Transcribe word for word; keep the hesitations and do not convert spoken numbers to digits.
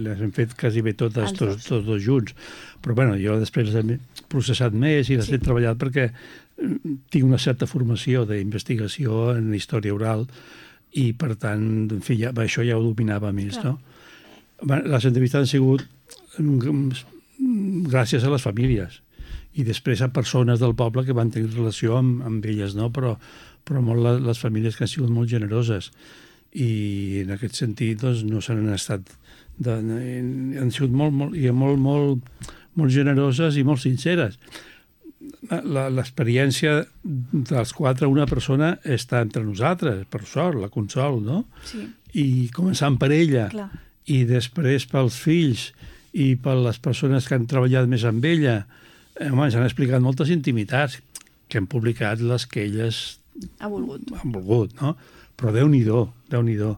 Les hem fet quasi bé totes, Els tots, dos. tots dos junts. Però bueno, jo després les he processat més i les Sí. he treballat perquè tinc una certa formació d'investigació en història oral i, per tant, en fi, ja, això ja ho dominava més, Clar. no? Les entrevistes han sigut gràcies a les famílies i després a persones del poble que van tenir relació amb, amb elles, no? Però, però molt les, les famílies que han sigut molt generoses i en aquest sentit doncs, no se n'han estat de, han sigut molt, molt, i molt, molt, molt generoses i molt sinceres. L'experiència dels quatre, una persona està entre nosaltres, per sort, la Consol, no? Sí. I començant per ella, Clar. i després pels fills i per les persones que han treballat més amb ella, home, ens han explicat moltes intimitats que han publicat les que elles Ha volgut. han volgut, no? Però Déu-n'hi-do, Déu-n'hi-do.